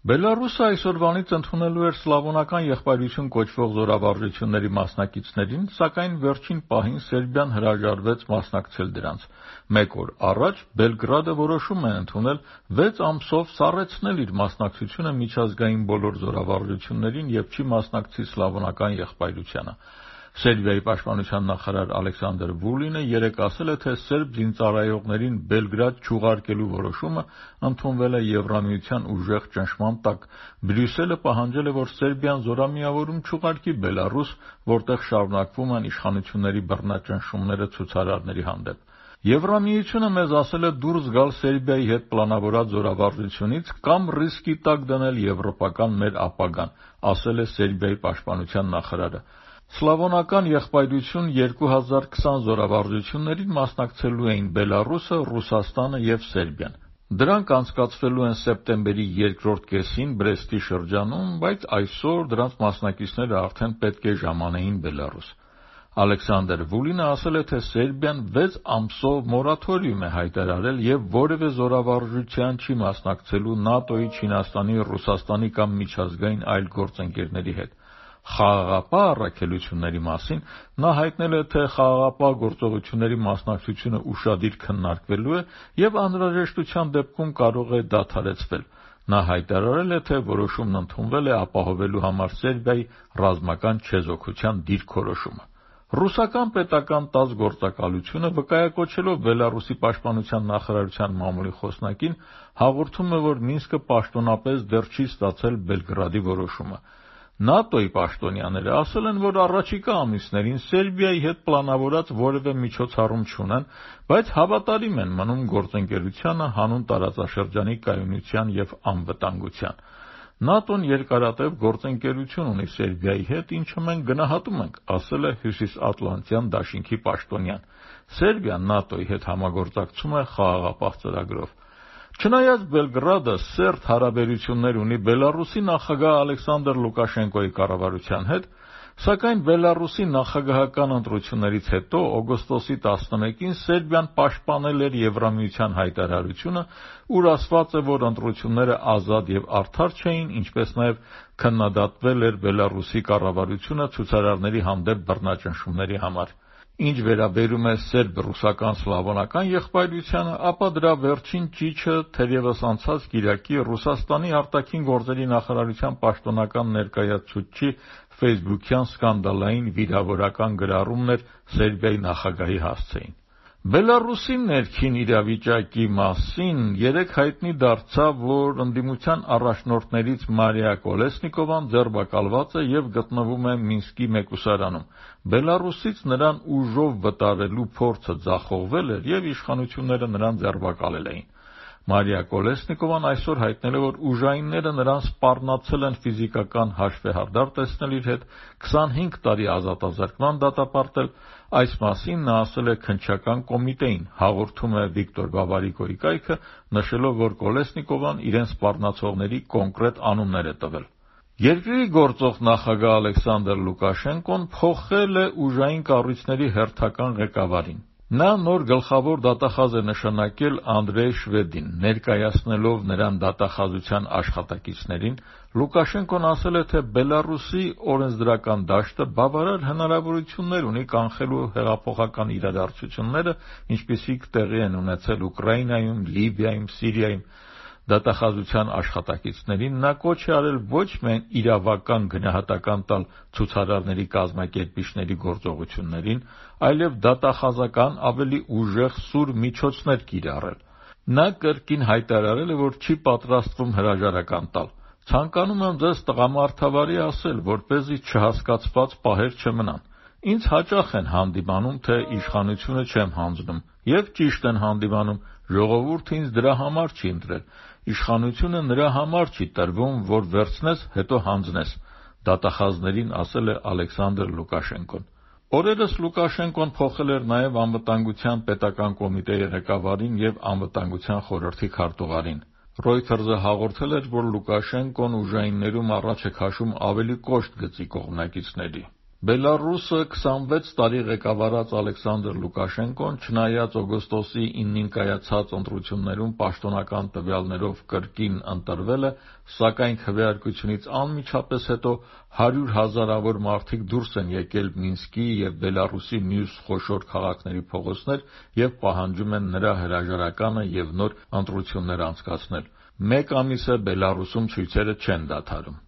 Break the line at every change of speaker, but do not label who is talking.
Բելարուսը այսօրվանից ընդունելու էր սլավոնական եղբայրություն կոչվող զորավարժությունների մասնակիցներին, սակայն վերջին պահին Սերբիան հրաժարվեց մասնակցել դրանց։ Մեկ օր առաջ Բելգրադը որոշում է ընդունել 6 ամսով սառեցնել իր մասնակցությունը միջազգային բոլոր զորավարժություններին եւ չի մասնակցի սլավոնական եղբայրությանը։ Սերբիայի պաշտպանության նախարար Ալեքսանդր Վուլինը երեկ ասել է, թե սերբ զինծառայողներին Բելգրադ չուղարկելու որոշումը ընդունվել է Եվրամիության ուժեղ ճնշման տակ։ Բրյուսելը պահանջել է, որ Սերբիան զորամիավորում չուղարկի Բելարուս, որտեղ շարունակվում են իշխանությունների բռնաճնշումները ցուցարարների հանդեպ։ Եվրամիությունը մեզ ասել է դուրս գալ Սերբիայի հետ պլանավորած զորավարժությունից կամ ռիսկի տակ դնել եվրոպական մեր ապագան, ասել է Սերբիայի պաշտպանության նախարարը։ Սլավոնական եղբայրություն 2020 զորավարժություններին մասնակցելու էին Բելարուսը, Ռուսաստանը եւ Սերբիան։ Դրանք անցկացվելու են սեպտեմբերի երկրորդ կեսին Բրեստի շրջանում, բայց այսօր դրանց մասնակիցները արդեն պետք է ժամանեին Բելարուս։ Ալեքսանդր Վուլինը ասել է, թե Սերբիան 6 ամսով մորաթորիում է հայտարարել եւ որևէ զորավարժության չի մասնակցելու ՆԱՏՕ-ի, Չինաստանի, Ռուսաստանի կամ միջազգային այլ գործընկերների հետ։ Խաղաղապահ առաքելությունների մասին նա հայտնել է, թե խաղաղապահ գործողությունների մասնակցությունը ուշադիր քննարկվելու է եւ անհրաժեշտության դեպքում կարող է դադարեցվել։ Նա հայտարարել է, թե որոշումն ընդունվել է ապահովելու համար Սերբիայի ռազմական չեզոքության դիրքորոշումը։ Ռուսական պետական ՏԱՍՍ գործակալությունը վկայակոչելով Բելարուսի պաշտպանության նախարարության մամուլի խոսնակին հաղորդում է, որ Մինսկը պաշտոնապես դեռ չի ստացել Բելգրադի որոշումը։ ՆԱՏՕ-ի պաշտոնյաները ասել են, որ առաջիկա ամիսներին Սերբիայի հետ պլանավորած որևէ միջոցառում չունեն, բայց հավատարիմ են մնում գործընկերությանը, հանուն տարածաշրջանի կայունության եւ անվտանգության։ ՆԱՏՕ-ն երկարատև գործընկերություն ունի Սերբիայի հետ, ինչը մենք գնահատում ենք, ասել է Հյուսիսատլանտյան դաշինքի պաշտոնյան։ Սերբիան ՆԱՏՕ-ի հետ համագործակցում է խաղաղապահ ծրագրով։ Չնայած Բելգրադը սերտ հարաբերություններ ունի Բելարուսի նախագահ Ալեքսանդր Լուկաշենկոյի կառավարության հետ, սակայն Բելարուսի նախագահական ընտրություններից հետո օգոստոսի 11-ին Սերբիան պաշտպանել էր Եվրամիության հայտարարությունը, ուր ասված է, որ ընտրությունները ազատ եւ արդար չէին, ինչպես նաեւ քննադատվել էր Բելարուսի կառավարությունը ցուցարարների հանդեպ բռնաճնշումների համար։ Ինչ վերաբերում է սերբ-ռուսական սլավոնական եղբայրությանը, ապա դրա վերջին ճիչը թերևս անցած կիրակի Ռուսաստանի արտաքին գործերի նախարարության պաշտոնական ներկայացուցչի ֆեյսբուքյան սկանդալային վիրավորական գրառումն էր Սերբիայի նախագահի հասցեին։ Բելարուսի ներքին իրավիճակի մասին երեկ հայտնի դարձավ, որ ընդդիմության առաջնորդներից Մարիա Կոլեսնիկովան ձերբակալված է եւ գտնվում է Մինսկի մեկուսարանում։ Բելարուսից նրան ուժով վտարելու փորձը ձախողվել էր եւ իշխանությունները նրան ձերբակալել էին։ Մարիա Կոլեսնիկովան այսօր հայտնել է, որ ուժայինները նրան սպառնացել են ֆիզիկական հաշվեհարդար տեսնել իր հետ, 25 տարի ազատազրկման դատապարտել։ Այս մասին նա ասել է քննչական կոմիտեին, հաղորդում է Վիկտոր Բաբարիկոյի կայքը, նշելով, որ Կոլեսնիկովան իրեն սպառնացողների կոնկրետ անուններ է տվել։ Երկրի գործող նախագահ Ալեքսանդր Լուկաշենկոն փոխել է ուժային կառույցների հերթական ղեկավարին։ Նա նոր գլխավոր դատախազ է նշանակել Անդրեյ Շվեդին, ներկայացնելով նրան դատախազության աշխատակիցներին։ Լուկաշենկոն ասել է, թե Բելարուսի օրենսդրական դաշտը բավարար հնարավորություններ ունի կանխելու հեղափոխական իրադարձությունները, ինչպիսիք տեղի են ունեցել Ուկրաինայում, Լիբիայում, Սիրիայում։ Դատախազության աշխատակիցներին նա կոչ է արել ոչ միայն իրավական գնահատական տալ ցուցարարների կազմակերպիչների գործողություններին, այլև դատախազական ավելի ուժեղ սուր միջոցներ կիրառել։ Նա կրկին հայտարարել է, որ չի պատրաստվում հրաժարական տալ։ Ցանկանում եմ ձեզ տղամարդավարի ասել, որպեսզի չհասկացված պահեր չմնան։ Ինձ հաճախ են հանդիմանում, թե իշխանությունը չեմ հանձնում, եւ ճիշտ են հանդիմանում, ժողովուրդը ինձ դրա համար չի ընտրել։ Իշխանությունը նրա համար չի տրվում, որ վերցնես, հետո հանձնես, դատախազներին ասել է Ալեքսանդր Լուկաշենկոն։ Օրերս Լուկաշենկոն փոխել էր նաև անվտանգության պետական կոմիտեի ղեկավարին եւ անվտանգության խորհրդի քարտուղարին։ Reuters-ը հաղորդել էր, որ Լուկաշենկոն ուժայիններում առաջ է քաշում ավելի կոշտ գծի կողմնակիցների։ Բելարուսը 26 տարի ղեկավարած Ալեքսանդր Լուկաշենկոն, չնայած օգոստոսի 9-ին կայացած ընտրություններում պաշտոնական տվյալներով կրկին ընտրվել է, սակայն քվեարկությունից անմիջապես հետո 100,000-ավոր մարդիկ դուրս են եկել Մինսկի և Բելարուսի մյուս խոշոր քաղաքների փողոցներ և պահանջում են նրա հրաժարականը և նոր ընտրություններ անցկացնել։ Մեկ ամիս է Բելարուսում ցույցերը չեն դադարում։